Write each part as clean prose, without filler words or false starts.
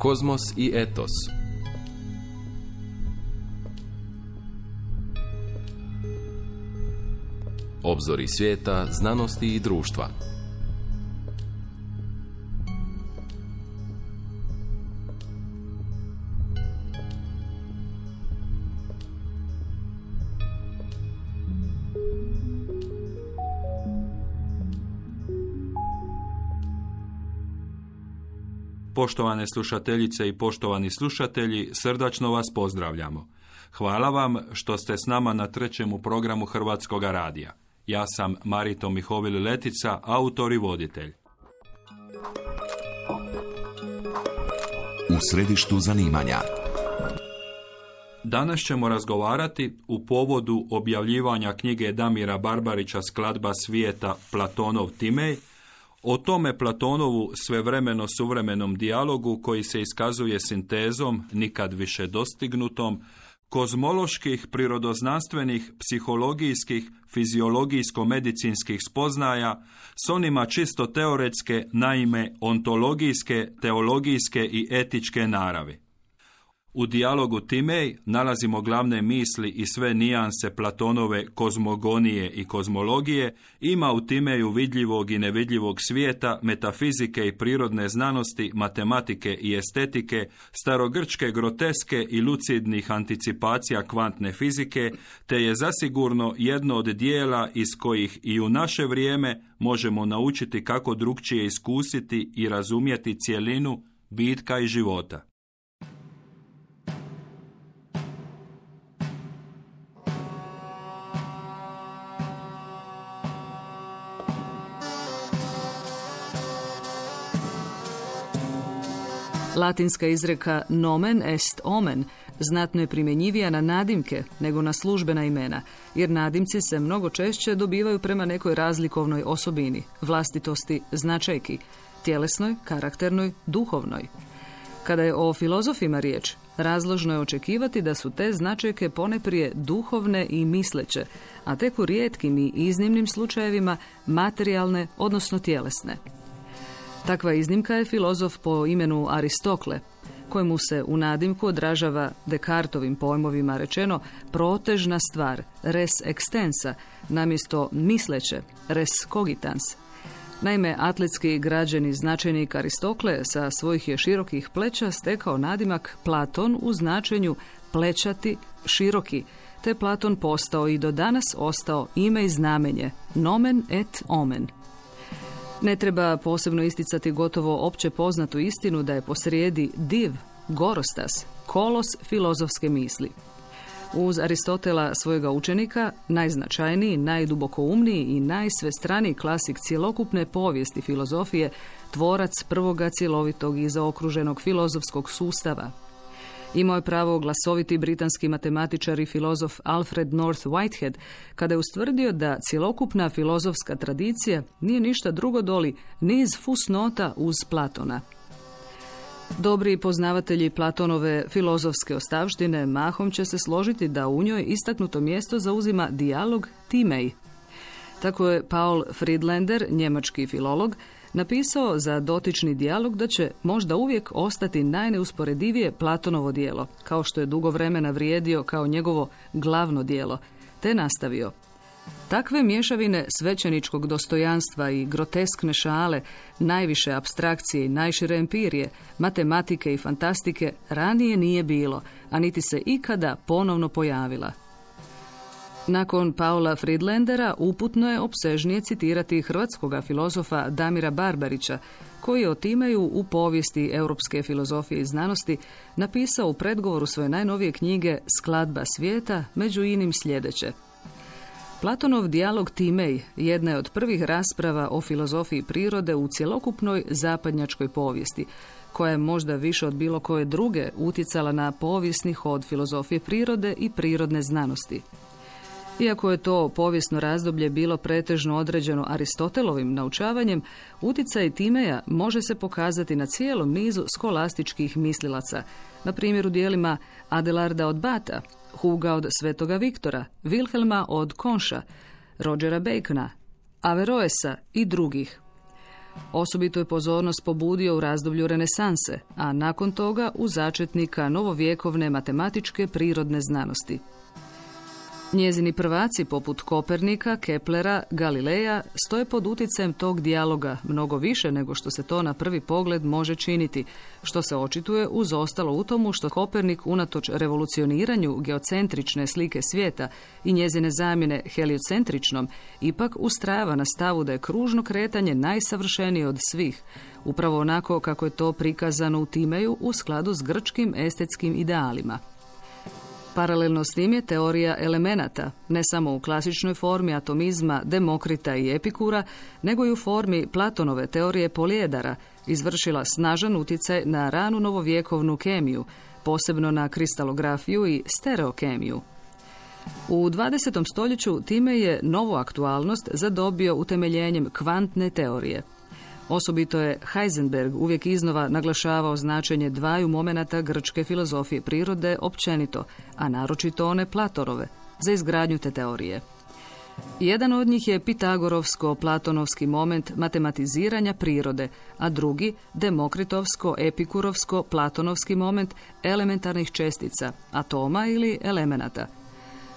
Kozmos i etos. Obzori svijeta, znanosti i društva. Poštovane slušateljice i poštovani slušatelji, srdačno vas pozdravljamo. Hvala vam što ste s nama na trećem programu Hrvatskoga radija. Ja sam Marito Mihovil Letica, autor i voditelj. U središtu zanimanja. Danas ćemo razgovarati u povodu objavljivanja knjige Damira Barbarića Skladba svijeta Platonov Timej, o tome Platonovu svevremeno suvremenom dijalogu koji se iskazuje sintezom, nikad više dostignutom, kozmoloških, prirodoznanstvenih, psihologijskih, fiziologijsko-medicinskih spoznaja s onima čisto teoretske, naime ontologijske, teologijske i etičke naravi. U dijalogu Timej nalazimo glavne misli i sve nijanse Platonove kozmogonije i kozmologije, ima u Timeju vidljivog i nevidljivog svijeta, metafizike i prirodne znanosti, matematike i estetike, starogrčke groteske i lucidnih anticipacija kvantne fizike, te je zasigurno jedno od dijela iz kojih i u naše vrijeme možemo naučiti kako drukčije iskusiti i razumjeti cjelinu bitka i života. Latinska izreka nomen est omen znatno je primjenjivija na nadimke nego na službena imena, jer nadimci se mnogo češće dobivaju prema nekoj razlikovnoj osobini, vlastitosti, značajki, tjelesnoj, karakternoj, duhovnoj. Kada je o filozofima riječ, razložno je očekivati da su te značajke poneprije duhovne i misleće, a tek u rijetkim i iznimnim slučajevima materijalne, odnosno tjelesne. Takva iznimka je filozof po imenu Aristokle, kojemu se u nadimku odražava Descartovim pojmovima rečeno protežna stvar, res extensa, namjesto misleće, res cogitans. Naime, atletski građeni značajnik Aristokle sa svojih je širokih pleća stekao nadimak Platon u značenju plećati, široki, te Platon postao i do danas ostao ime i znamenje, nomen et omen. Ne treba posebno isticati gotovo opće poznatu istinu da je posrijedi div, gorostas, kolos filozofske misli. Uz Aristotela, svojega učenika, najznačajniji, najdubokoumniji i najsvestraniji klasik cjelokupne povijesti filozofije, tvorac prvoga cjelovitog i zaokruženog filozofskog sustava. Imao je pravo glasoviti britanski matematičar i filozof Alfred North Whitehead kada je ustvrdio da cjelokupna filozofska tradicija nije ništa drugo doli niz fusnota uz Platona. Dobri poznavatelji Platonove filozofske ostavštine mahom će se složiti da u njoj istaknuto mjesto zauzima dijalog Timej. Tako je Paul Friedlander, njemački filolog, napisao za dotični dijalog da će možda uvijek ostati najneusporedivije Platonovo djelo, kao što je dugo vremena vrijedio kao njegovo glavno djelo, te nastavio. Takve mješavine svećeničkog dostojanstva i groteskne šale, najviše apstrakcije i najšire empirije, matematike i fantastike ranije nije bilo, a niti se ikada ponovno pojavila. Nakon Paula Friedlandera uputno je opsežnije citirati hrvatskoga filozofa Damira Barbarića, koji je o Timeju u povijesti europske filozofije i znanosti napisao u predgovoru svoje najnovije knjige Skladba svijeta, među inim sljedeće. Platonov dijalog Timej jedna je od prvih rasprava o filozofiji prirode u cjelokupnoj zapadnjačkoj povijesti, koja je možda više od bilo koje druge utjecala na povijesni hod filozofije prirode i prirodne znanosti. Iako je to povijesno razdoblje bilo pretežno određeno Aristotelovim naučavanjem, utjecaj Timeja može se pokazati na cijelom nizu skolastičkih mislilaca, na primjer u dijelima Adelarda od Bata, Huga od Svetoga Viktora, Wilhelma od Konša, Rogera Bacona, Averroesa i drugih. Osobito je pozornost pobudio u razdoblju renesanse, a nakon toga u začetnika novovjekovne matematičke prirodne znanosti. Njezini prvaci poput Kopernika, Keplera, Galileja stoje pod utjecajem tog dijaloga mnogo više nego što se to na prvi pogled može činiti, što se očituje uz ostalo u tomu što Kopernik unatoč revolucioniranju geocentrične slike svijeta i njezine zamjene heliocentričnom ipak ustrajava na stavu da je kružno kretanje najsavršenije od svih, upravo onako kako je to prikazano u Timeju u skladu s grčkim estetskim idealima. Paralelno s tim je teorija elemenata, ne samo u klasičnoj formi atomizma Demokrita i Epikura, nego i u formi Platonove teorije polijedara, izvršila snažan utjecaj na ranu novovjekovnu kemiju, posebno na kristalografiju i stereokemiju. U 20. stoljeću time je novu aktualnost zadobio utemeljenjem kvantne teorije. Osobito je Heisenberg uvijek iznova naglašavao značenje dvaju momenata grčke filozofije prirode općenito, a naročito one Platonove, za izgradnju te teorije. Jedan od njih je Pitagorovsko-platonovski moment matematiziranja prirode, a drugi Demokritovsko-epikurovsko-platonovski moment elementarnih čestica, atoma ili elemenata.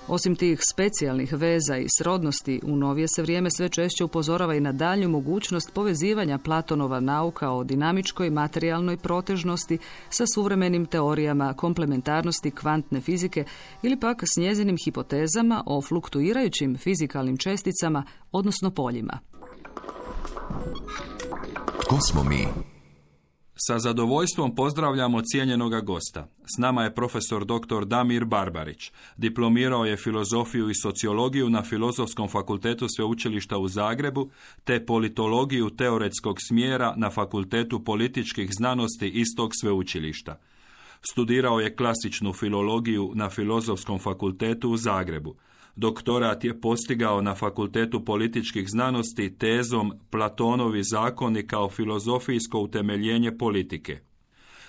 Osim tih specijalnih veza i srodnosti, u novije se vrijeme sve češće upozorava i na daljnju mogućnost povezivanja Platonova nauka o dinamičkoj materijalnoj protežnosti sa suvremenim teorijama komplementarnosti kvantne fizike ili pak s njezinim hipotezama o fluktuirajućim fizikalnim česticama, odnosno poljima. Tko smo mi? Sa zadovoljstvom pozdravljamo cijenjenoga gosta. S nama je profesor dr. Damir Barbarić. Diplomirao je filozofiju i sociologiju na Filozofskom fakultetu Sveučilišta u Zagrebu, te politologiju teoretskog smjera na Fakultetu političkih znanosti istog sveučilišta. Studirao je klasičnu filologiju na Filozofskom fakultetu u Zagrebu. Doktorat je postigao na Fakultetu političkih znanosti tezom Platonovi zakoni kao filozofijsko utemeljenje politike.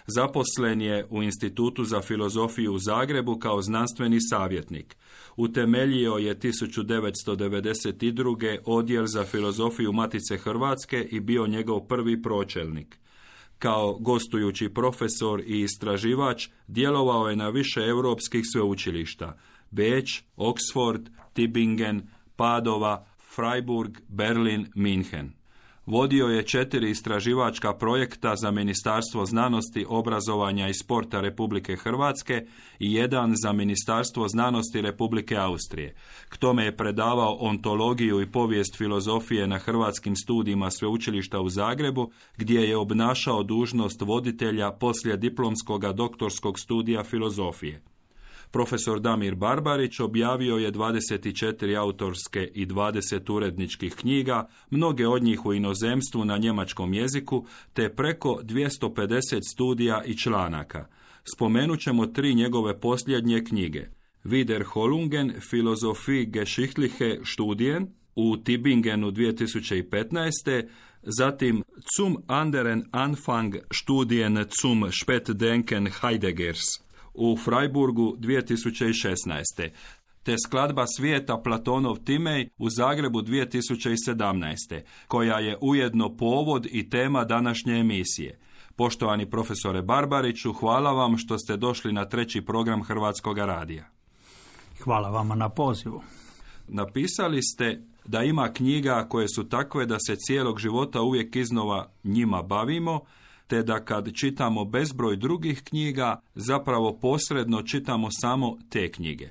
Zaposlen je u Institutu za filozofiju u Zagrebu kao znanstveni savjetnik. Utemeljio je 1992. odjel za filozofiju Matice Hrvatske i bio njegov prvi pročelnik. Kao gostujući profesor i istraživač djelovao je na više europskih sveučilišta: Beč, Oxford, Tübingen, Padova, Freiburg, Berlin, München. Vodio je 4 istraživačka projekta za Ministarstvo znanosti, obrazovanja i sporta Republike Hrvatske i 1 za Ministarstvo znanosti Republike Austrije. K tome je predavao ontologiju i povijest filozofije na hrvatskim studijima Sveučilišta u Zagrebu, gdje je obnašao dužnost voditelja poslijediplomskoga doktorskog studija filozofije. Profesor Damir Barbarić objavio je 24 autorske i 20 uredničkih knjiga, mnoge od njih u inozemstvu na njemačkom jeziku, te preko 250 studija i članaka. Spomenut ćemo 3 njegove posljednje knjige: Wiederholungen Philosophie Geschichtliche Studien u Tübingenu 2015. Zatim Zum anderen Anfang Studien zum Spätdenken Heideggers u Freiburgu 2016. te Skladba svijeta Platonov Timej u Zagrebu 2017. koja je ujedno povod i tema današnje emisije. Poštovani profesore Barbariću, hvala vam što ste došli na 3. program Hrvatskoga radija. Hvala vama na pozivu. Napisali ste da ima knjiga koje su takve da se cijelog života uvijek iznova njima bavimo, te da kad čitamo bezbroj drugih knjiga, zapravo posredno čitamo samo te knjige.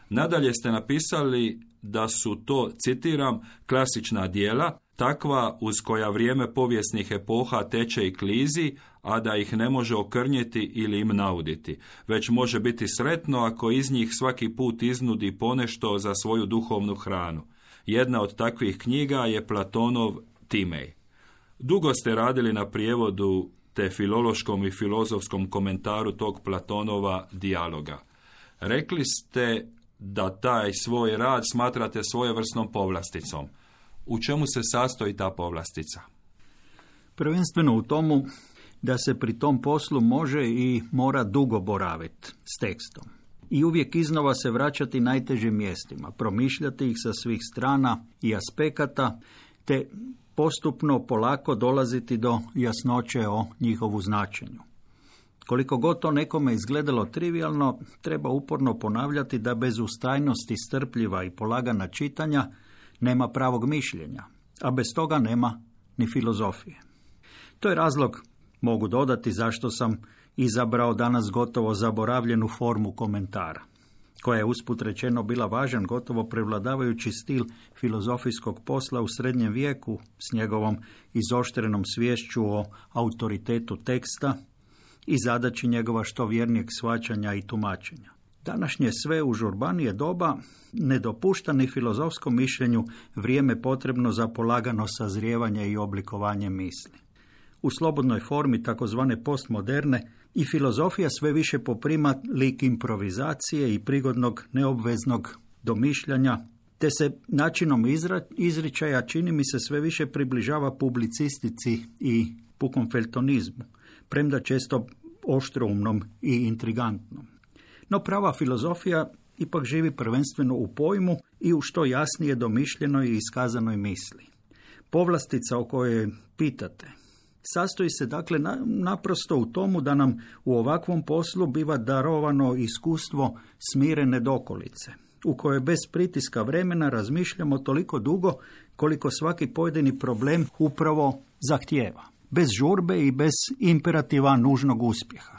Nadalje ste napisali da su to, citiram, klasična djela, takva uz koja vrijeme povijesnih epoha teče i klizi, a da ih ne može okrnjeti ili im nauditi, već može biti sretno ako iz njih svaki put iznudi ponešto za svoju duhovnu hranu. Jedna od takvih knjiga je Platonov Timej. Dugo ste radili na prijevodu te filološkom i filozofskom komentaru tog Platonova dijaloga. Rekli ste da taj svoj rad smatrate svojevrsnom povlasticom. U čemu se sastoji ta povlastica? Prvenstveno u tomu da se pri tom poslu može i mora dugo boraviti s tekstom. I uvijek iznova se vraćati najtežim mjestima, promišljati ih sa svih strana i aspekata, te postupno, polako dolaziti do jasnoće o njihovu značenju. Koliko god to nekome izgledalo trivijalno, treba uporno ponavljati da bez ustrajnosti, strpljiva i polagana čitanja nema pravog mišljenja, a bez toga nema ni filozofije. To je razlog, mogu dodati, zašto sam izabrao danas gotovo zaboravljenu formu komentara, koja je usput rečeno bila važan, gotovo prevladavajući stil filozofijskog posla u srednjem vijeku s njegovom izoštrenom sviješću o autoritetu teksta i zadaći njegova što vjernijeg shvaćanja i tumačenja. Današnje sve užurbanije doba ne dopušta ni filozofskom mišljenju vrijeme potrebno za polagano sazrijevanje i oblikovanje misli. U slobodnoj formi takozvane postmoderne i filozofija sve više poprima lik improvizacije i prigodnog neobveznog domišljanja, te se načinom izričaja čini mi se sve više približava publicistici i pukom feltonizmu, premda često oštroumnom i intrigantnom. No prava filozofija ipak živi prvenstveno u pojmu i u što jasnije domišljenoj i iskazanoj misli. Povlastica o kojoj pitate sastoji se dakle naprosto u tomu da nam u ovakvom poslu biva darovano iskustvo smirene dokolice, u kojoj bez pritiska vremena razmišljamo toliko dugo koliko svaki pojedini problem upravo zahtijeva, bez žurbe i bez imperativa nužnog uspjeha.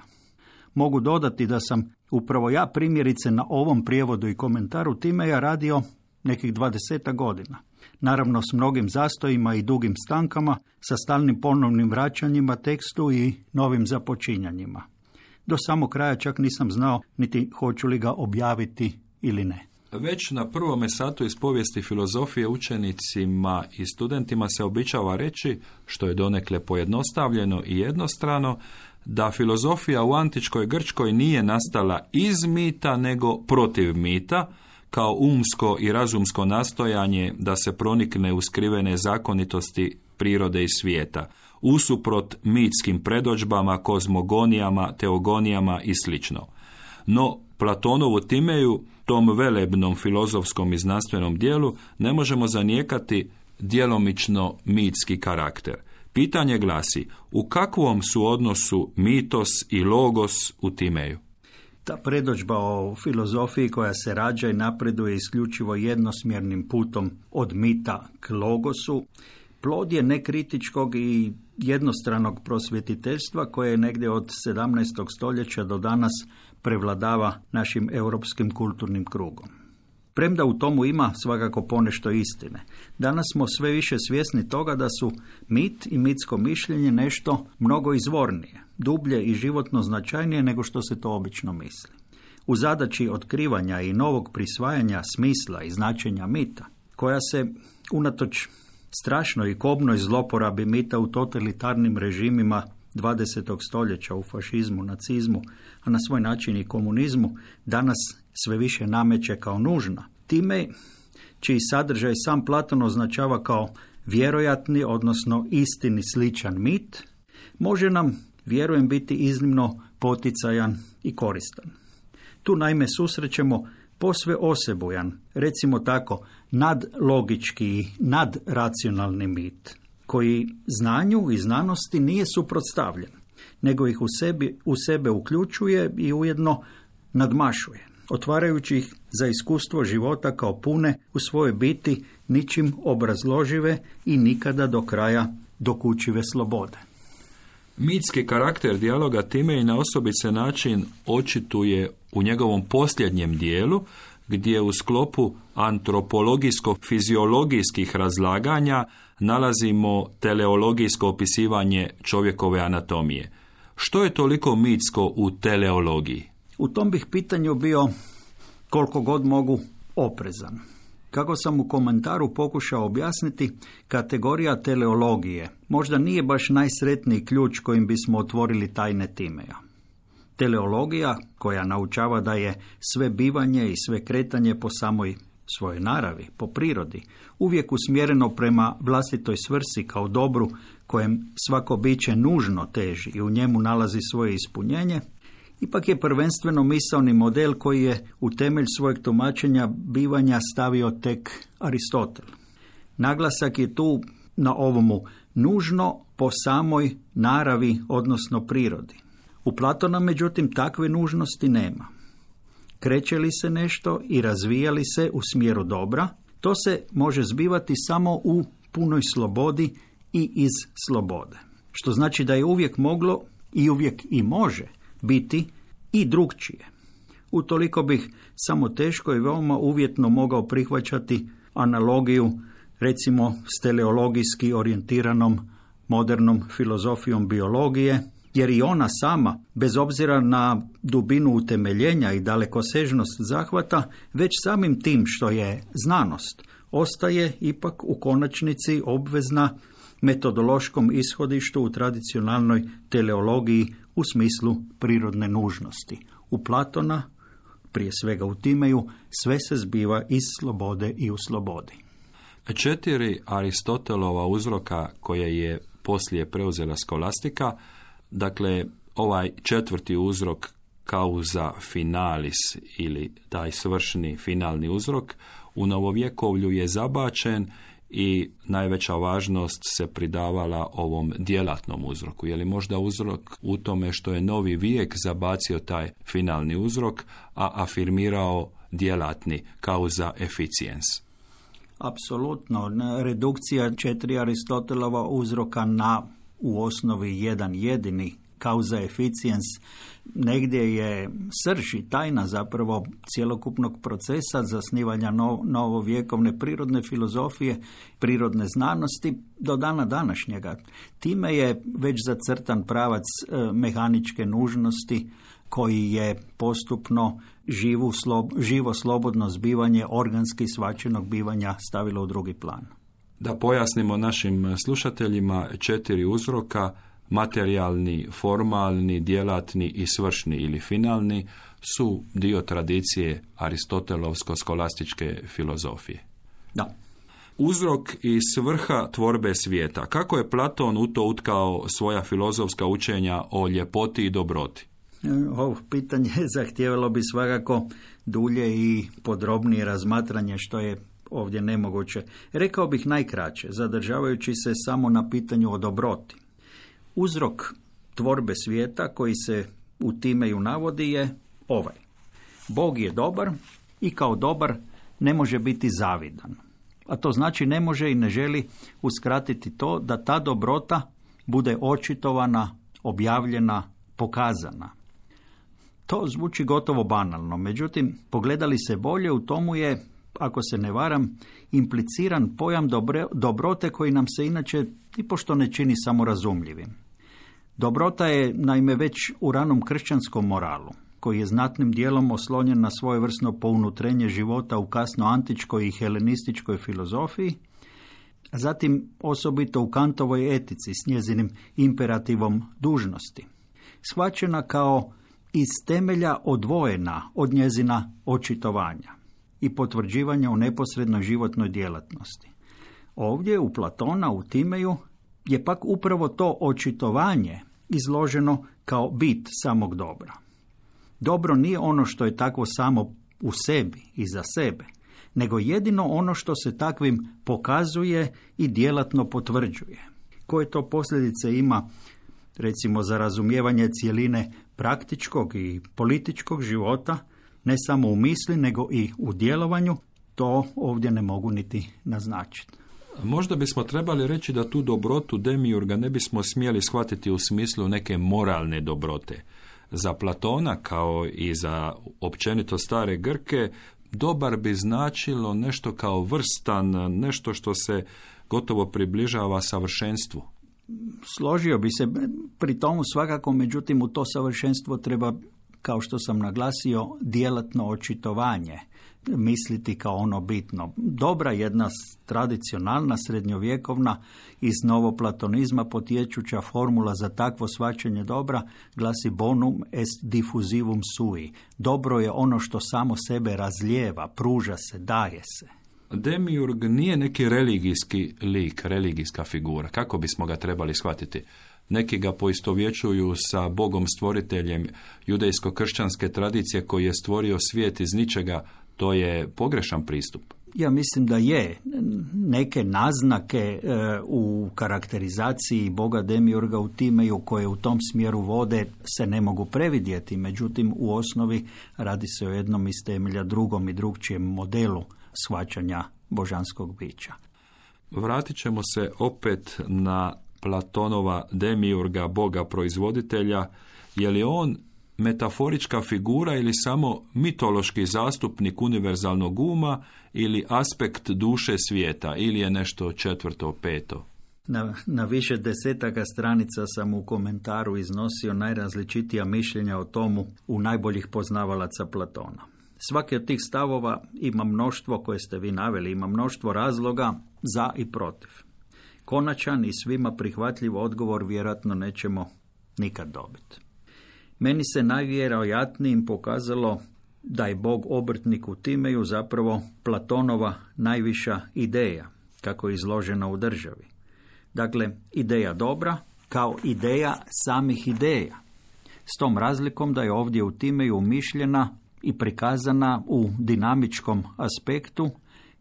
Mogu dodati da sam upravo ja primjerice na ovom prijevodu i komentaru Timeja radio nekih 20 godina. Naravno s mnogim zastojima i dugim stankama, sa stalnim ponovnim vraćanjima tekstu i novim započinjanjima. Do samog kraja čak nisam znao niti hoću li ga objaviti ili ne. Već na prvome satu iz povijesti filozofije učenicima i studentima se običava reći, što je donekle pojednostavljeno i jednostrano, da filozofija u antičkoj Grčkoj nije nastala iz mita nego protiv mita, kao umsko i razumsko nastojanje da se pronikne u skrivene zakonitosti prirode i svijeta, usuprot mitskim predodžbama, kozmogonijama, teogonijama i sl. No, Platonovu Timeju, tom velebnom filozofskom i znanstvenom dijelu, ne možemo zanijekati djelomično mitski karakter. Pitanje glasi, u kakvom su odnosu mitos i logos u Timeju? Ta predodžba o filozofiji koja se rađa i napreduje isključivo jednosmjernim putom od mita k logosu, plod je nekritičkog i jednostranog prosvjetiteljstva koje je negdje od 17. stoljeća do danas prevladava našim europskim kulturnim krugom. Premda u tomu ima svakako ponešto istine, danas smo sve više svjesni toga da su mit i mitsko mišljenje nešto mnogo izvornije, dublje i životno značajnije nego što se to obično misli. U zadaći otkrivanja i novog prisvajanja smisla i značenja mita, koja se unatoč strašnoj i kobnoj zloporabi mita u totalitarnim režimima 20. stoljeća u fašizmu, nacizmu, a na svoj način i komunizmu, danas sve više nameće kao nužna. Time, čiji sadržaj sam Platon označava kao vjerojatni, odnosno istini sličan mit, može nam, vjerujem, biti iznimno poticajan i koristan. Tu naime susrećemo posve osebujan, recimo tako, nadlogički i nadracionalni mit, koji znanju i znanosti nije suprotstavljen, nego ih u sebe uključuje i ujedno nadmašuje, otvarajući ih za iskustvo života kao pune u svojoj biti ničim obrazložive i nikada do kraja dokučive slobode. Mitski karakter dijaloga time i na osobice način očituje u njegovom posljednjem dijelu, gdje u sklopu antropologijsko-fiziologijskih razlaganja nalazimo teleologijsko opisivanje čovjekove anatomije. Što je toliko mitsko u teleologiji? U tom bih pitanju bio koliko god mogu oprezan. Kako sam u komentaru pokušao objasniti, kategorija teleologije možda nije baš najsretniji ključ kojim bismo otvorili tajne Timeja. Teleologija, koja naučava da je sve bivanje i sve kretanje po samoj svojoj naravi, po prirodi, uvijek usmjereno prema vlastitoj svrsi kao dobru kojem svako biće nužno teži i u njemu nalazi svoje ispunjenje, ipak je prvenstveno misaoni model koji je u temelj svojeg tumačenja bivanja stavio tek Aristotel. Naglasak je tu na ovomu nužno po samoj naravi, odnosno prirodi. U Platona, međutim, takve nužnosti nema. Kreće li se nešto i razvija li se u smjeru dobra, to se može zbivati samo u punoj slobodi i iz slobode. Što znači da je uvijek moglo i uvijek i može biti i drugčije. Utoliko bih samo teško i veoma uvjetno mogao prihvaćati analogiju, recimo s teleologijski orijentiranom modernom filozofijom biologije, jer i ona sama, bez obzira na dubinu utemeljenja i dalekosežnost zahvata, već samim tim što je znanost, ostaje ipak u konačnici obvezna metodološkom ishodištu u tradicionalnoj teleologiji u smislu prirodne nužnosti. U Platona, prije svega u Timeju, sve se zbiva iz slobode i u slobodi. 4 Aristotelova uzroka koje je poslije preuzela skolastika, dakle ovaj 4. uzrok causa finalis ili taj svršni finalni uzrok u novovjekovlju je zabačen i najveća važnost se pridavala ovom djelatnom uzroku. Je li možda uzrok u tome što je novi vijek zabacio taj finalni uzrok, a afirmirao djelatni causa efficiens? Apsolutno. Redukcija 4 Aristotelova uzroka na u osnovi jedan jedini causa efficiens negdje je srž i tajna zapravo cjelokupnog procesa zasnivanja novovjekovne prirodne filozofije, prirodne znanosti do dana današnjega. Time je već zacrtan pravac mehaničke nužnosti koji je postupno živo slobodno zbivanje organski shvaćenog bivanja stavilo u drugi plan. Da pojasnimo našim slušateljima 4 uzroka, materijalni, formalni, djelatni i svršni ili finalni, su dio tradicije aristotelovsko-skolastičke filozofije. Da. Uzrok i svrha tvorbe svijeta. Kako je Platon u to utkao svoja filozofska učenja o ljepoti i dobroti? Ovo pitanje zahtijevalo bi svakako dulje i podrobnije razmatranje, što je ovdje nemoguće. Rekao bih najkraće, zadržavajući se samo na pitanju o dobroti. Uzrok tvorbe svijeta koji se u Timeju navodi je ovaj. Bog je dobar i kao dobar ne može biti zavidan. A to znači ne može i ne želi uskratiti to da ta dobrota bude očitovana, objavljena, pokazana. To zvuči gotovo banalno, međutim, pogledali se bolje, u tomu je, ako se ne varam, impliciran pojam dobrote koji nam se inače nipošto ne čini samorazumljivim. Dobrota je naime već u ranom kršćanskom moralu, koji je znatnim dijelom oslonjen na svojevrsno pounutrenje života u kasno antičkoj i helenističkoj filozofiji, a zatim osobito u Kantovoj etici s njezinim imperativom dužnosti, shvaćena kao iz temelja odvojena od njezina očitovanja i potvrđivanja u neposrednoj životnoj djelatnosti. Ovdje u Platona, u Timeju, je pak upravo to očitovanje izloženo kao bit samog dobra. Dobro nije ono što je takvo samo u sebi i za sebe, nego jedino ono što se takvim pokazuje i djelatno potvrđuje. Koje to posljedice ima, recimo, za razumijevanje cjeline praktičkog i političkog života, ne samo u misli, nego i u djelovanju, to ovdje ne mogu niti naznačiti. Možda bismo trebali reći da tu dobrotu demiurga ne bismo smjeli shvatiti u smislu neke moralne dobrote. Za Platona, kao i za općenito stare Grke, dobar bi značilo nešto kao vrstan, nešto što se gotovo približava savršenstvu. Složio bi se pri tomu svakako, međutim u to savršenstvo treba, kao što sam naglasio, djelatno očitovanje, misliti kao ono bitno. Dobra jedna tradicionalna, srednjovjekovna, iz novoplatonizma potječuća formula za takvo shvaćanje dobra glasi bonum est diffusivum sui. Dobro je ono što samo sebe razlijeva, pruža se, daje se. Demiurg nije neki religijski lik, religijska figura. Kako bismo ga trebali shvatiti? Neki ga poistovjećuju sa Bogom stvoriteljem judejsko-kršćanske tradicije koji je stvorio svijet iz ničega. To je pogrešan pristup. Ja mislim da je. Neke naznake u karakterizaciji Boga Demiurga u Timeju koje u tom smjeru vode se ne mogu previdjeti. Međutim, u osnovi radi se o jednom iz temelja drugom i drugčijem modelu shvaćanja božanskog bića. Vratit ćemo se opet na Platonova Demiurga, Boga proizvoditelja. Je li on metaforička figura ili samo mitološki zastupnik univerzalnog uma ili aspekt duše svijeta ili je nešto četvrto, peto? Na više desetaka stranica sam u komentaru iznosio najrazličitija mišljenja o tomu u najboljih poznavalaca Platona. Svaki od tih stavova ima mnoštvo koje ste vi naveli, ima mnoštvo razloga za i protiv. Konačan i svima prihvatljiv odgovor vjerojatno nećemo nikad dobiti. Meni se najvjerojatnijim pokazalo da je Bog obrtnik u Timeju zapravo Platonova najviša ideja, kako je izložena u Državi. Dakle, ideja dobra kao ideja samih ideja. S tom razlikom da je ovdje u Timeju umišljena i prikazana u dinamičkom aspektu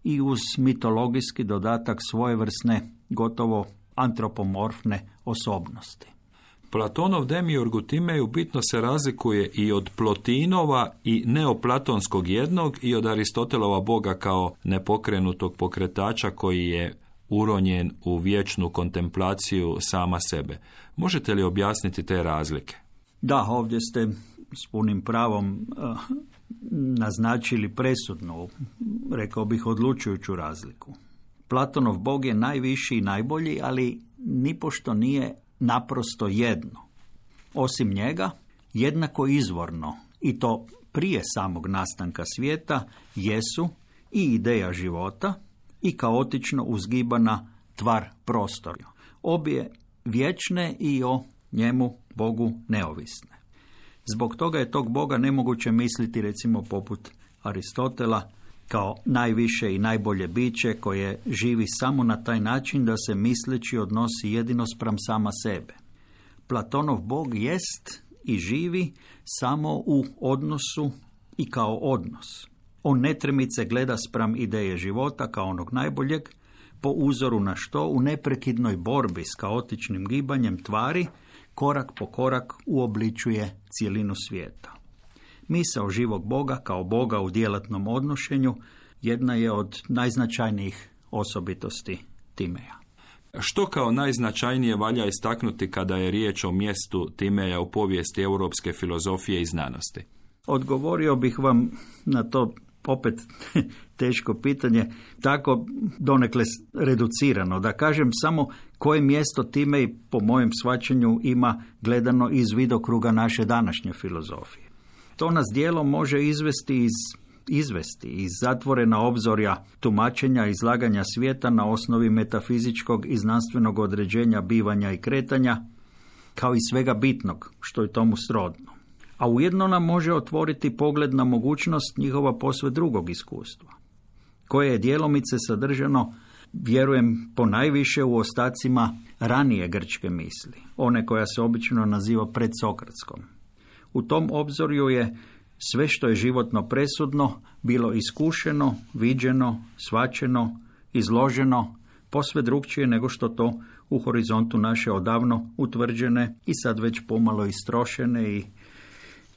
i uz mitologijski dodatak svojevrsne, gotovo antropomorfne osobnosti. Platonov Demiurg u Timeju bitno se razlikuje i od Plotinova i neoplatonskog jednog i od Aristotelova Boga kao nepokrenutog pokretača koji je uronjen u vječnu kontemplaciju sama sebe. Možete li objasniti te razlike? Da, ovdje ste s punim pravom naznačili presudnu, rekao bih odlučujuću razliku. Platonov Bog je najviši i najbolji, ali nipošto nije naprosto jedno. Osim njega, jednako izvorno, i to prije samog nastanka svijeta, jesu i ideja života i kaotično uzgibana tvar prostora. Obje vječne i o njemu, Bogu, neovisne. Zbog toga je tog Boga nemoguće misliti, recimo, poput Aristotela, kao najviše i najbolje biće koje živi samo na taj način da se misleći odnosi jedino spram sama sebe. Platonov Bog jest i živi samo u odnosu i kao odnos. On netremice gleda spram ideje života kao onog najboljeg, po uzoru na što u neprekidnoj borbi s kaotičnim gibanjem tvari korak po korak uobličuje cijelinu svijeta. Misao živog Boga kao Boga u djelatnom odnošenju jedna je od najznačajnijih osobitosti Timeja. Što kao najznačajnije valja istaknuti kada je riječ o mjestu Timeja u povijesti europske filozofije i znanosti? Odgovorio bih vam na to opet teško pitanje, tako donekle reducirano. Da kažem samo koje mjesto Timej po mojem shvaćanju ima gledano iz vidokruga naše današnje filozofije. To nas dijelom može izvesti iz zatvorena obzorja tumačenja i izlaganja svijeta na osnovi metafizičkog i znanstvenog određenja bivanja i kretanja, kao i svega bitnog što je tomu srodno. A ujedno nam može otvoriti pogled na mogućnost njihova posve drugog iskustva, koje je djelomice sadržano, vjerujem, ponajviše u ostacima ranije grčke misli, one koja se obično naziva predsokratskom. U tom obzorju je sve što je životno presudno bilo iskušeno, viđeno, shvaćeno, izloženo, posve drukčije nego što to u horizontu naše odavno utvrđene i sad već pomalo istrošene i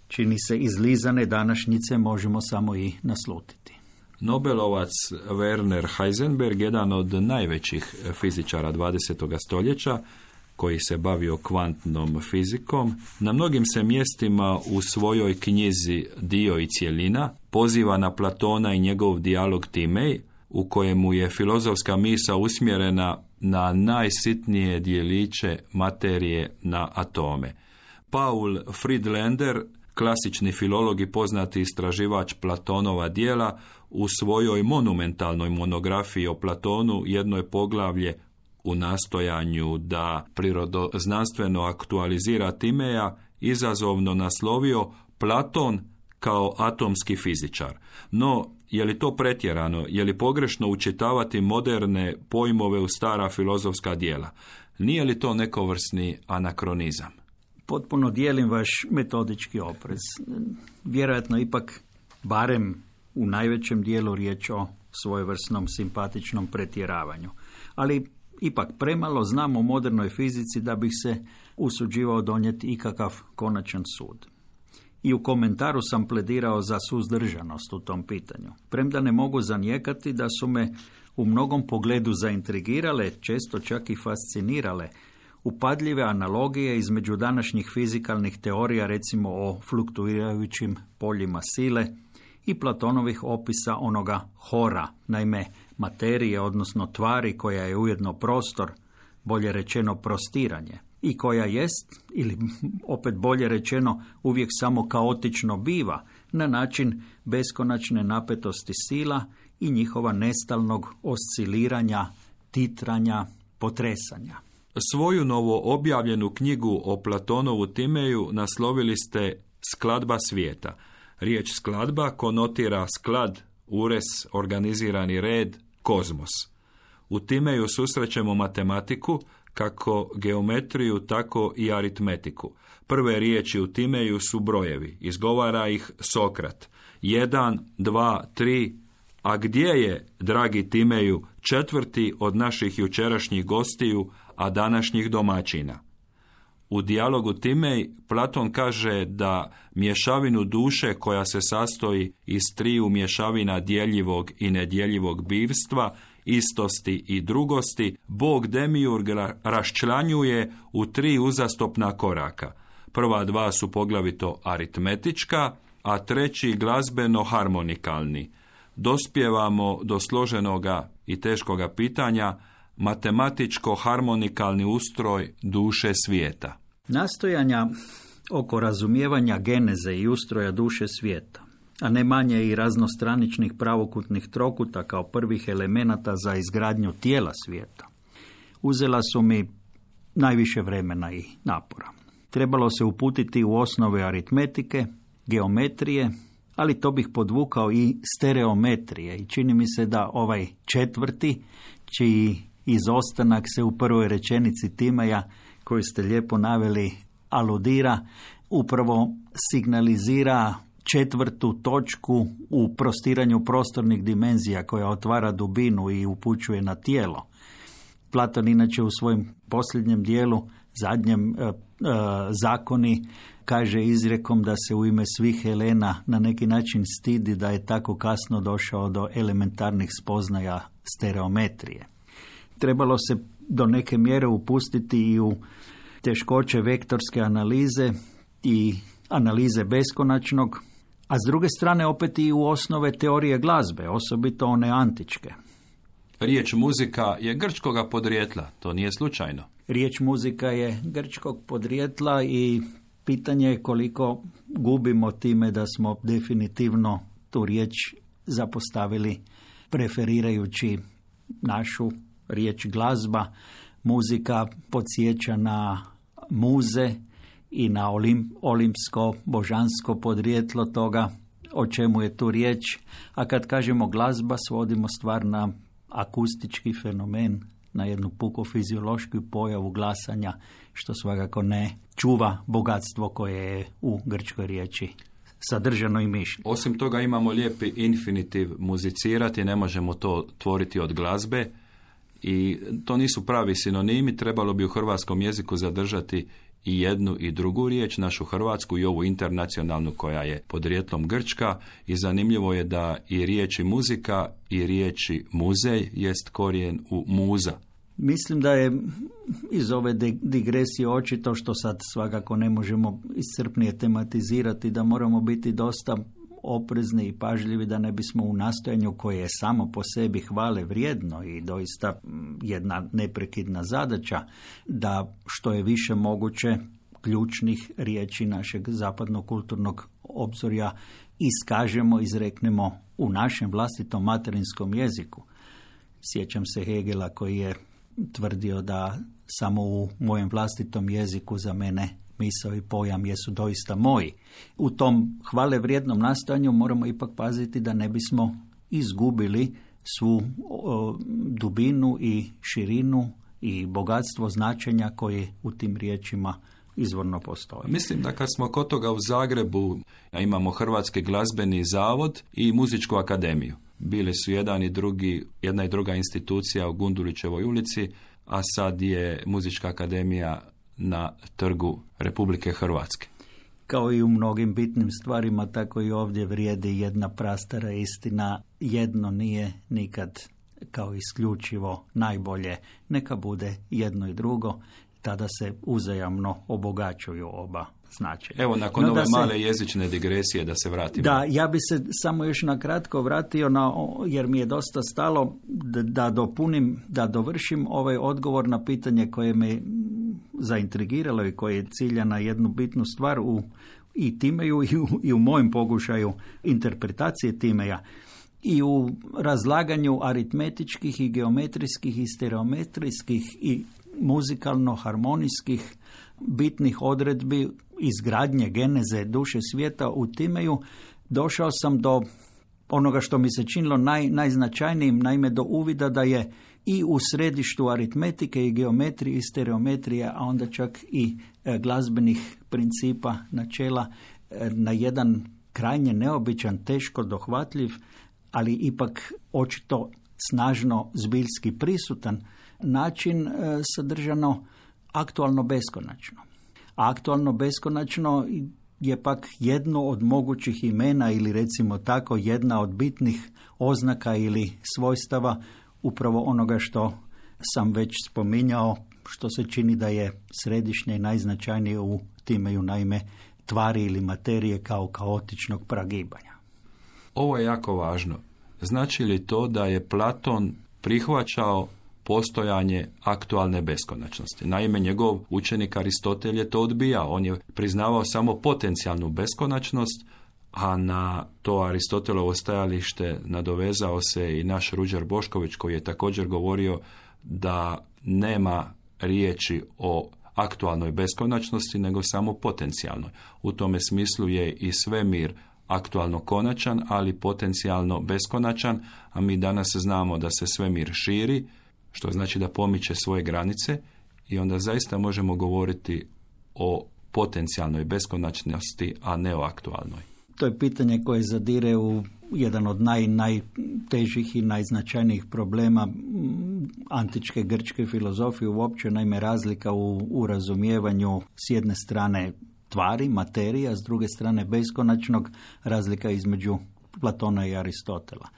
čini se izlizane današnjice možemo samo i naslutiti. Nobelovac Werner Heisenberg, jedan od najvećih fizičara 20. stoljeća, koji se bavio kvantnom fizikom, na mnogim se mjestima u svojoj knjizi Dio i cjelina poziva na Platona i njegov dijalog Timej, u kojemu je filozofska misao usmjerena na najsitnije dijeliće materije, na atome. Paul Friedlander, klasični filolog i poznati istraživač Platonova djela, u svojoj monumentalnoj monografiji o Platonu jedno je poglavlje u nastojanju da prirodoznanstveno aktualizira Timeja izazovno naslovio Platon kao atomski fizičar. No, je li to pretjerano? Je li pogrešno učitavati moderne pojmove u stara filozofska djela? Nije li to nekovrsni anakronizam? Potpuno dijelim vaš metodički oprez. Vjerojatno ipak, barem u najvećem dijelu, riječ o svojevrsnom simpatičnom pretjeravanju. Ali ipak premalo znam o modernoj fizici da bih se usuđivao donijeti ikakav konačan sud. I u komentaru sam pledirao za suzdržanost u tom pitanju. Premda ne mogu zanijekati da su me u mnogom pogledu zaintrigirale, često čak i fascinirale, upadljive analogije između današnjih fizikalnih teorija, recimo o fluktuirajućim poljima sile, i Platonovih opisa onoga hora, naime materije, odnosno tvari koja je ujedno prostor, bolje rečeno prostiranje, i koja jest, ili opet bolje rečeno, uvijek samo kaotično biva, na način beskonačne napetosti sila i njihova nestalnog osciliranja, titranja, potresanja. Svoju novo objavljenu knjigu o Platonovu Timeju naslovili ste Skladba svijeta. Riječ skladba konotira sklad, ures, organizirani red, kozmos. U Timeju susrećemo matematiku, kako geometriju, tako i aritmetiku. Prve riječi u Timeju su brojevi. Izgovara ih Sokrat. 1, 2, 3. A gdje je, dragi Timeju, četvrti od naših jučerašnjih gostiju, a današnjih domaćina? U dijalogu Timej Platon kaže da mješavinu duše koja se sastoji iz triju mješavina djeljivog i nedjeljivog bivstva, istosti i drugosti, Bog Demiurg raščlanjuje u 3 uzastopna koraka. Prva 2 su poglavito aritmetička, a treći glazbeno-harmonikalni. Dospijevamo do složenoga i teškoga pitanja matematičko-harmonikalni ustroj duše svijeta. Nastojanja oko razumijevanja geneze i ustroja duše svijeta, a ne manje i raznostraničnih pravokutnih trokuta kao prvih elemenata za izgradnju tijela svijeta, uzela su mi najviše vremena i napora. Trebalo se uputiti u osnove aritmetike, geometrije, ali to bih podvukao i stereometrije, i čini mi se da ovaj četvrti, čiji izostanak se u prvoj rečenici Timeja, koju ste lijepo naveli, aludira, upravo signalizira četvrtu točku u prostiranju prostornih dimenzija koja otvara dubinu i upućuje na tijelo. Platon inače u svojem posljednjem dijelu, zadnjem zakoni, kaže izrijekom da se u ime svih Helena na neki način stidi da je tako kasno došao do elementarnih spoznaja stereometrije. Trebalo se do neke mjere upustiti i u teškoće vektorske analize i analize beskonačnog, a s druge strane opet i u osnove teorije glazbe, osobito one antičke. Riječ muzika je grčkoga podrijetla, to nije slučajno. Riječ muzika je grčkog podrijetla i pitanje je koliko gubimo time da smo definitivno tu riječ zapostavili preferirajući našu riječ glazba. Muzika podsjeća na muze i na olimpsko, božansko podrijetlo toga o čemu je tu riječ, a kad kažemo glazba svodimo stvar na akustički fenomen, na jednu puko fiziološku pojavu glasanja, što svakako ne čuva bogatstvo koje je u grčkoj riječi sadržano i mišljeno. Osim toga imamo lijepi infinitiv muzicirati, ne možemo to tvoriti od glazbe i to nisu pravi sinonimi, trebalo bi u hrvatskom jeziku zadržati i jednu i drugu riječ, našu hrvatsku i ovu internacionalnu koja je podrijetlom grčka, i zanimljivo je da i riječi muzika i riječi muzej jest korijen u muza. Mislim da je iz ove digresije očito, što sad svakako ne možemo iscrpnije tematizirati, da moramo biti dosta oprezni i pažljivi da ne bismo u nastojanju koje je samo po sebi hvale vrijedno i doista jedna neprekidna zadaća, da što je više moguće ključnih riječi našeg zapadnog kulturnog obzorja iskažemo, izreknemo u našem vlastitom materinskom jeziku. Sjećam se Hegela koji je tvrdio da samo u mojem vlastitom jeziku za mene misao i pojam jesu doista moji. U tom hvale vrijednom nastojanju moramo ipak paziti da ne bismo izgubili svu dubinu i širinu i bogatstvo značenja koje u tim riječima izvorno postoji. Mislim da kad smo kod toga u Zagrebu imamo Hrvatski glazbeni zavod i Muzičku akademiju. Bili su jedna i druga institucija u Gundulićevoj ulici, a sad je Muzička akademija na Trgu Republike Hrvatske. Kao i u mnogim bitnim stvarima, tako i ovdje vrijedi jedna prastara istina. Jedno nije nikad kao isključivo najbolje. Neka bude jedno i drugo, tada se uzajamno obogaćuju oba značenja. Evo, nakon ove male jezične digresije da se vratimo. Da, ja bi se samo još na kratko vratio, jer mi je dosta stalo da dopunim, da dovršim ovaj odgovor na pitanje koje me zaintrigiralo i koje cilja na jednu bitnu stvar i Timeju i u mojem pokušaju interpretacije Timeja. I u razlaganju aritmetičkih i geometrijskih i stereometrijskih i muzikalno-harmonijskih bitnih odredbi izgradnje geneze duše svijeta u Timeju, došao sam do onoga što mi se činilo najznačajnijim, naime do uvida da je i u središtu aritmetike i geometrije i stereometrije, a onda čak i glazbenih principa, načela, na jedan krajnje neobičan, teško dohvatljiv, ali ipak očito snažno zbiljski prisutan način sadržano aktualno beskonačno. Aktualno beskonačno je pak jedno od mogućih imena ili recimo tako jedna od bitnih oznaka ili svojstava upravo onoga što sam već spominjao, što se čini da je središnje i najznačajnije u Timeju, naime tvari ili materije kao kaotičnog pragibanja. Ovo je jako važno. Znači li to da je Platon prihvaćao postojanje aktualne beskonačnosti? Naime, njegov učenik Aristotel je to odbijao. On je priznavao samo potencijalnu beskonačnost, a na to Aristotelovo stajalište nadovezao se i naš Ruđer Bošković, koji je također govorio da nema riječi o aktualnoj beskonačnosti, nego samo potencijalnoj. U tome smislu je i svemir aktualno konačan, ali potencijalno beskonačan, a mi danas znamo da se svemir širi, što znači da pomiče svoje granice, i onda zaista možemo govoriti o potencijalnoj beskonačnosti, a ne o aktualnoj. To je pitanje koje zadire u jedan od najtežih i najznačajnijih problema antičke grčke filozofije uopće, naime razlika u razumijevanju s jedne strane tvari, materija, s druge strane beskonačnog, razlika između Platona i Aristotela.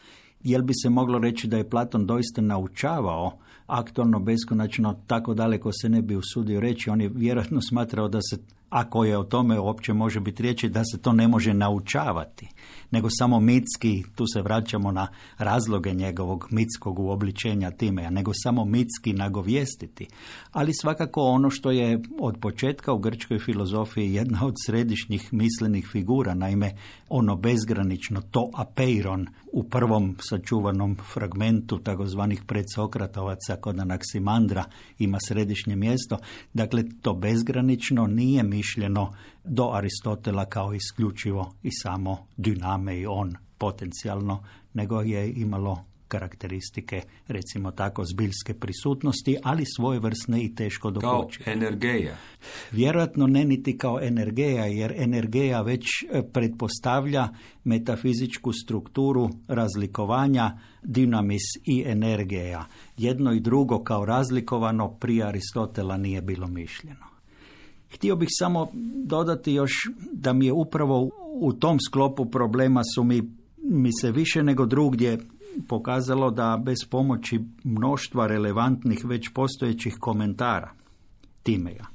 Jel bi se moglo reći da je Platon doista naučavao aktualno beskonačno? Tako daleko se ne bi usudio reći. On je vjerojatno smatrao da se, ako je o tome uopće može biti riječi, da se to ne može naučavati, nego samo mitski, tu se vraćamo na razloge njegovog mitskog uobličenja Timeja, nego samo mitski nagovijestiti. Ali svakako ono što je od početka u grčkoj filozofiji jedna od središnjih mislenih figura, naime ono bezgranično, to apeiron, u prvom sačuvanom fragmentu takozvanih predsokratovaca kod Anaksimandra ima središnje mjesto. Dakle, to bezgranično nije mišljeno do Aristotela kao isključivo i samo diname i on potencijalno, nego je imalo karakteristike, recimo tako, zbiljske prisutnosti, ali svojevrsne i teško dokučive. Kao energeja. Vjerojatno ne niti kao energeja, jer energeja već pretpostavlja metafizičku strukturu razlikovanja dinamis i energija. Jedno i drugo kao razlikovano prije Aristotela nije bilo mišljeno. Htio bih samo dodati još da mi je upravo u tom sklopu problema su mi se više nego drugdje pokazalo da bez pomoći mnoštva relevantnih već postojećih komentara Timeja,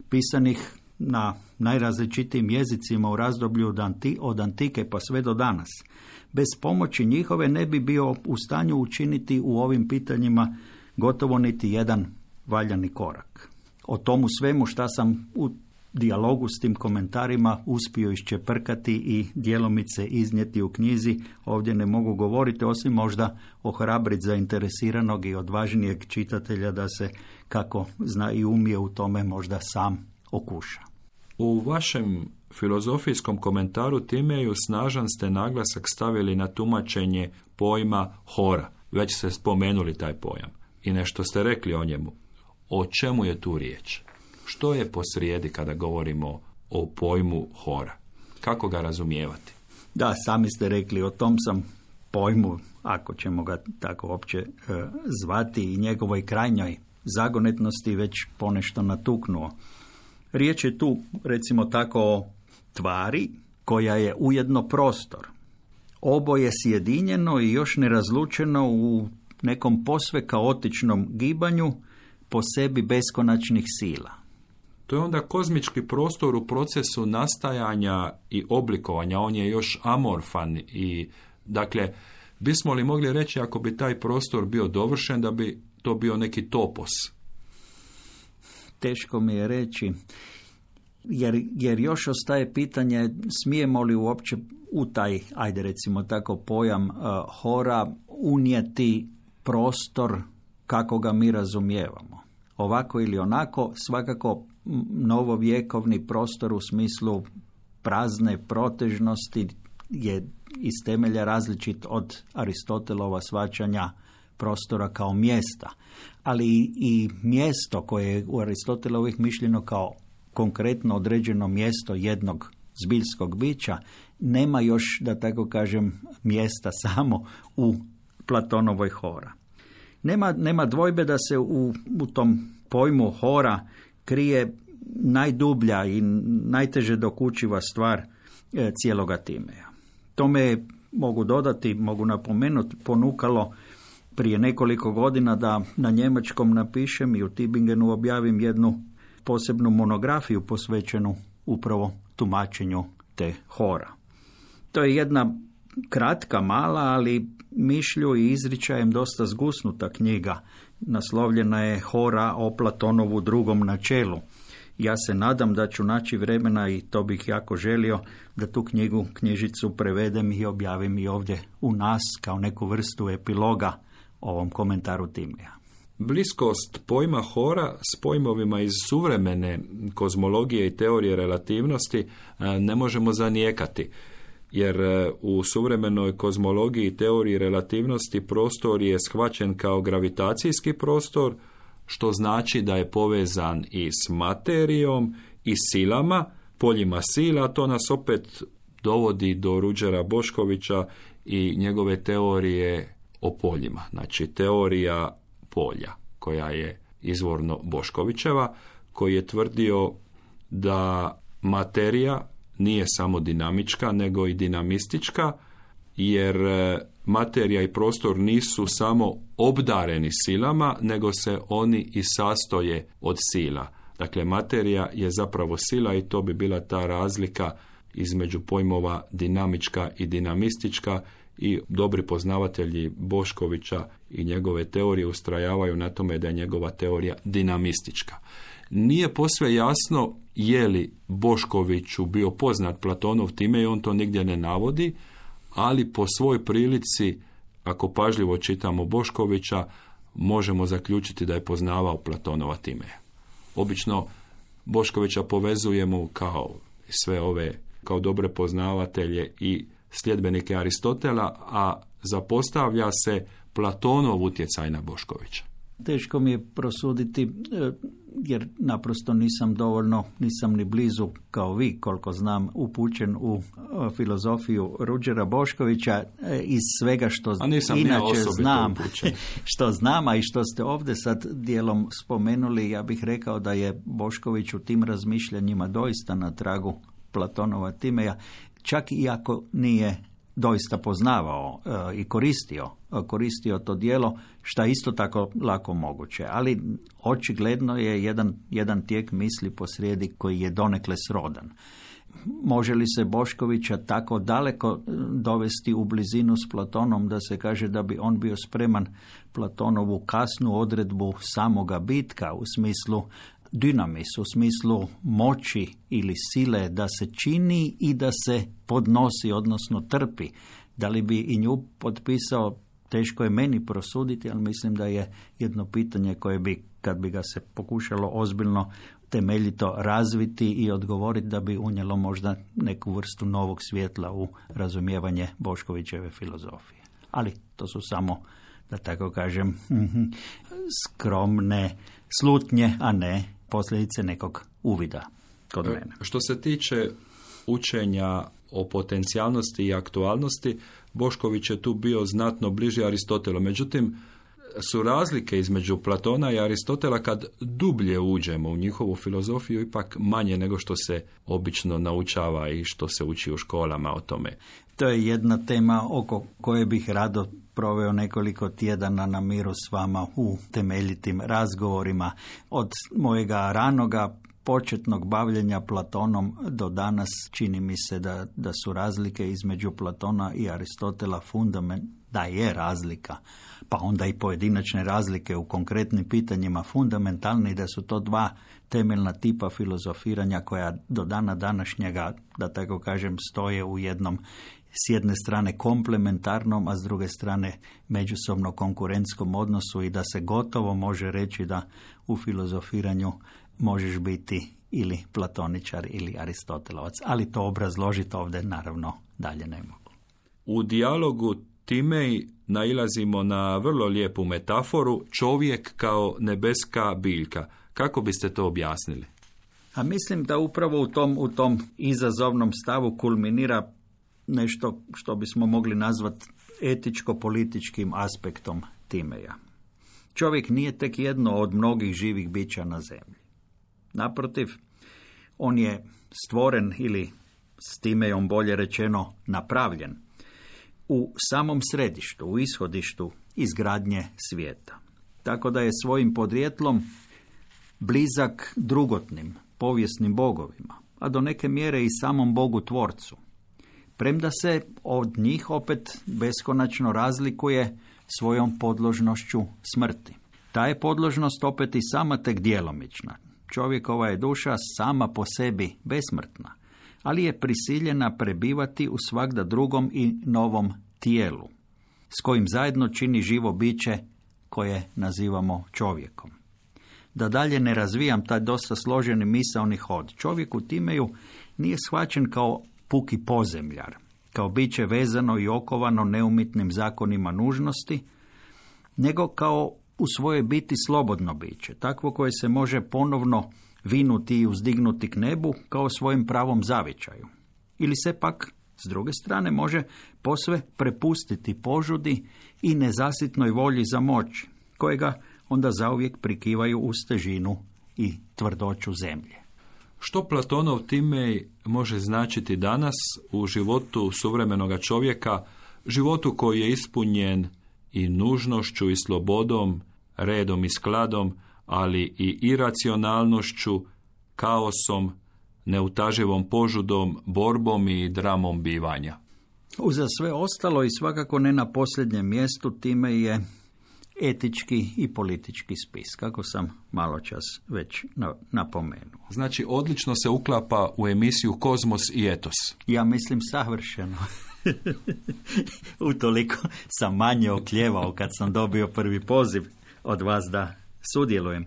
pisanih na najrazličitijim jezicima u razdoblju od antike pa sve do danas, bez pomoći njihove ne bi bio u stanju učiniti u ovim pitanjima gotovo niti jedan valjani korak. O tomu svemu šta sam u dijalogu s tim komentarima uspio iščeprkati i djelomice iznijeti u knjizi, ovdje ne mogu govoriti, osim možda ohrabriti zainteresiranog i odvažnijeg čitatelja da se, kako zna i umije u tome, možda sam okuša. U vašem filozofijskom komentaru Timeju snažan ste naglasak stavili na tumačenje pojma hora. Već ste spomenuli taj pojam i nešto ste rekli o njemu. O čemu je tu riječ? Što je posrijedi kada govorimo o pojmu hora? Kako ga razumijevati? Da, sami ste rekli, o tom sam pojmu ako ćemo ga tako uopće zvati, i njegovoj krajnjoj zagonetnosti već ponešto natuknuo. Riječ je tu, recimo tako, o tvari koja je ujedno prostor. Oboje sjedinjeno i još nerazlučeno u nekom posve kaotičnom gibanju po sebi beskonačnih sila. To je onda kozmički prostor u procesu nastajanja i oblikovanja. On je još amorfan i, dakle, bismo li mogli reći, ako bi taj prostor bio dovršen, da bi to bio neki topos? Teško mi je reći, jer još ostaje pitanje smijemo li uopće u taj, ajde recimo tako, pojam hora unijeti prostor kako ga mi razumijevamo. Ovako ili onako, svakako novovjekovni prostor u smislu prazne protežnosti je iz temelja različit od Aristotelova shvaćanja prostora kao mjesta. Ali i mjesto koje je u Aristotelovih mišljeno kao konkretno određeno mjesto jednog zbiljskog bića, nema još, da tako kažem, mjesta samo u Platonovoj hora. Nema dvojbe da se u tom pojmu hora krije najdublja i najteže dokučiva stvar cijeloga Timeja. Tome je, mogu dodati, mogu napomenuti, ponukalo prije nekoliko godina da na njemačkom napišem i u Tübingenu objavim jednu posebnu monografiju posvećenu upravo tumačenju te hora. To je jedna kratka, mala, ali mišlju i izričajem dosta zgusnuta knjiga. Naslovljena je Hora o Platonovu drugom načelu. Ja se nadam da ću naći vremena, i to bih jako želio, da tu knjižicu prevedem i objavim i ovdje u nas kao neku vrstu epiloga ovom komentaru Timeja. Bliskost pojma hora s pojmovima iz suvremene kozmologije i teorije relativnosti ne možemo zanijekati, jer u suvremenoj kozmologiji i teoriji relativnosti prostor je shvaćen kao gravitacijski prostor, što znači da je povezan i s materijom i silama, poljima sila. To nas opet dovodi do Ruđera Boškovića i njegove teorije o poljima, znači teorija polja, koja je izvorno Boškovićeva, koji je tvrdio da materija nije samo dinamička, nego i dinamistička, jer materija i prostor nisu samo obdareni silama, nego se oni i sastoje od sila. Dakle, materija je zapravo sila i to bi bila ta razlika između pojmova dinamička i dinamistička, i dobri poznavatelji Boškovića i njegove teorije ustrajavaju na tome da je njegova teorija dinamistička. Nije posve jasno je li Boškoviću bio poznat Platonov Timej, on to nigdje ne navodi, ali po svoj prilici, ako pažljivo čitamo Boškovića, možemo zaključiti da je poznavao Platonova Timeja. Obično Boškovića povezujemo kao sve ove, kao dobre poznavatelje i sljedbenike Aristotela, a zapostavlja se Platonov utjecaj na Boškovića. Teško mi je prosuditi, jer naprosto nisam ni blizu kao vi, koliko znam, upućen u filozofiju Ruđera Boškovića. Iz svega što inače znam, što znam, a i što ste ovdje sad dijelom spomenuli, ja bih rekao da je Bošković u tim razmišljanjima doista na tragu Platonova Timeja, čak i ako nije doista poznavao i koristio to djelo, što je isto tako lako moguće. Ali očigledno je jedan tijek misli posrijedi koji je donekle srodan. Može li se Boškovića tako daleko dovesti u blizinu s Platonom da se kaže da bi on bio spreman Platonovu kasnu odredbu samoga bitka u smislu dynamis, u smislu moći ili sile da se čini i da se podnosi, odnosno trpi. Da li bi i nju potpisao, teško je meni prosuditi, ali mislim da je jedno pitanje koje bi, kad bi ga se pokušalo ozbiljno temeljito razviti i odgovoriti, da bi unijelo možda neku vrstu novog svjetla u razumijevanje Boškovićeve filozofije. Ali to su samo, da tako kažem, skromne slutnje, a ne posljedice nekog uvida kod mene. Što se tiče učenja o potencijalnosti i aktualnosti, Bošković je tu bio znatno bliži Aristotelu. Međutim, su razlike između Platona i Aristotela, kad dublje uđemo u njihovu filozofiju, ipak manje nego što se obično naučava i što se uči u školama o tome. To je jedna tema oko koje bih rado proveo nekoliko tjedana na miru s vama u temeljitim razgovorima. Od mojega ranoga početnog bavljenja Platonom do danas čini mi se da su razlike između Platona i Aristotela da je razlika, pa onda i pojedinačne razlike u konkretnim pitanjima fundamentalne i da su to dva temeljna tipa filozofiranja koja do dana današnjega, da tako kažem, stoje u jednom s jedne strane komplementarnom, a s druge strane međusobno konkurentskom odnosu i da se gotovo može reći da u filozofiranju možeš biti ili platoničar ili aristotelovac, ali to obrazložiti ovdje naravno dalje ne mogu. U dijalogu Timej nailazimo na vrlo lijepu metaforu, čovjek kao nebeska biljka. Kako biste to objasnili? A mislim da upravo u tom izazovnom stavu kulminira nešto što bismo mogli nazvati etičko-političkim aspektom Timeja. Čovjek nije tek jedno od mnogih živih bića na zemlji. Naprotiv, on je stvoren ili s Timejom bolje rečeno napravljen u samom središtu, u ishodištu izgradnje svijeta. Tako da je svojim podrijetlom blizak drugotnim, povijesnim bogovima, a do neke mjere i samom Bogu tvorcu. Premda se od njih opet beskonačno razlikuje svojom podložnošću smrti. Ta je podložnost opet i sama tek djelomična. Čovjekova je duša sama po sebi besmrtna, ali je prisiljena prebivati u svagda drugom i novom tijelu, s kojim zajedno čini živo biće koje nazivamo čovjekom. Da dalje ne razvijam taj dosta složeni misaoni hod, čovjek u Timeju nije shvaćen kao puki pozemljar, kao biće vezano i okovano neumitnim zakonima nužnosti, nego kao u svojoj biti slobodno biće, takvo koje se može ponovno vinuti i uzdignuti k nebu kao svojim pravom zavičaju. Ili se pak, s druge strane, može posve prepustiti požudi i nezasitnoj volji za moć, kojega onda zauvijek prikivaju uz težinu i tvrdoću zemlje. Što Platonov Timej može značiti danas u životu suvremenoga čovjeka, životu koji je ispunjen i nužnošću i slobodom, redom i skladom, ali i iracionalnošću, kaosom, neutaživom požudom, borbom i dramom bivanja? Uza sve ostalo i svakako ne na posljednjem mjestu Timej je etički i politički spis, kako sam maločas već napomenuo. Znači, odlično se uklapa u emisiju Kozmos i Etos. Ja mislim savršeno. Utoliko sam manje oklijevao kad sam dobio prvi poziv od vas da sudjelujem.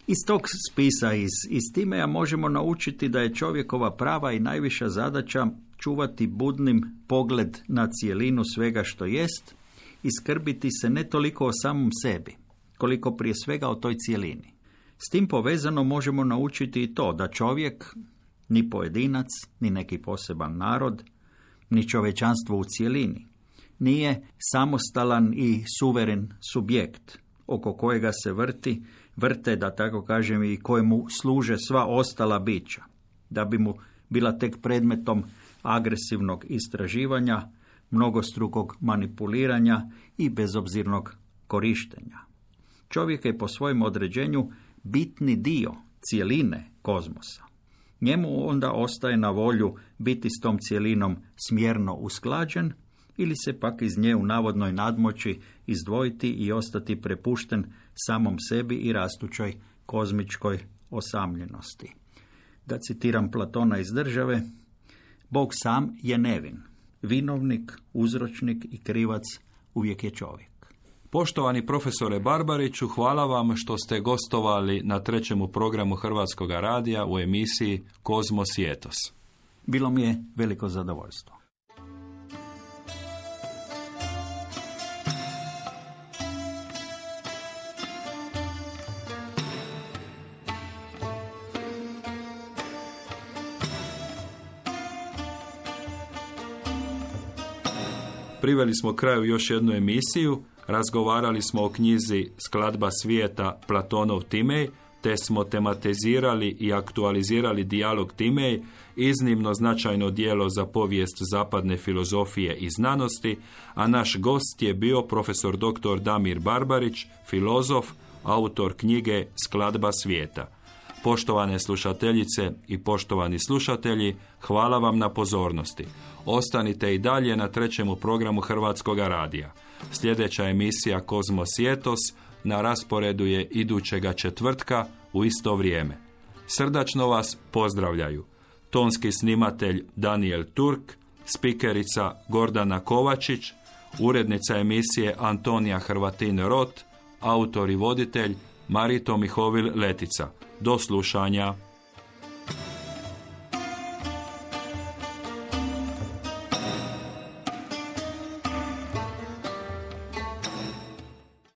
Iz tog spisa, iz Timeja možemo naučiti da je čovjekova prava i najviša zadaća čuvati budnim pogled na cijelinu svega što jest i skrbiti se ne toliko o samom sebi, koliko prije svega o toj cijelini. S tim povezano možemo naučiti i to da čovjek, ni pojedinac, ni neki poseban narod, ni čovječanstvo u cijelini, nije samostalan i suveren subjekt oko kojega se vrte, da tako kažem, i kojemu služe sva ostala bića, da bi mu bila tek predmetom agresivnog istraživanja, mnogostrukog manipuliranja i bezobzirnog korištenja. Čovjek je po svojem određenju bitni dio cijeline kozmosa. Njemu onda ostaje na volju biti s tom cijelinom smjerno usklađen ili se pak iz nje u navodnoj nadmoći izdvojiti i ostati prepušten samom sebi i rastućoj kozmičkoj osamljenosti. Da citiram Platona iz Države, Bog sam je nevin. Vinovnik, uzročnik i krivac uvijek je čovjek. Poštovani profesore Barbariću, hvala vam što ste gostovali na 3. programu Hrvatskoga radija u emisiji Kozmos i Etos. Bilo mi je veliko zadovoljstvo. Priveli smo kraju još jednu emisiju, razgovarali smo o knjizi Skladba svijeta Platonov Timej, te smo tematizirali i aktualizirali dijalog Timej, iznimno značajno djelo za povijest zapadne filozofije i znanosti, a naš gost je bio profesor dr. Damir Barbarić, filozof, autor knjige Skladba svijeta. Poštovane slušateljice i poštovani slušatelji, hvala vam na pozornosti. Ostanite i dalje na 3. programu Hrvatskog radija. Sljedeća emisija Kozmos i etos na rasporedu je idućega četvrtka u isto vrijeme. Srdačno vas pozdravljaju tonski snimatelj Daniel Turk, spikerica Gordana Kovačić, urednica emisije Antonija Hrvatin-Rot, autor i voditelj Marito Mihovil Letica. Do slušanja.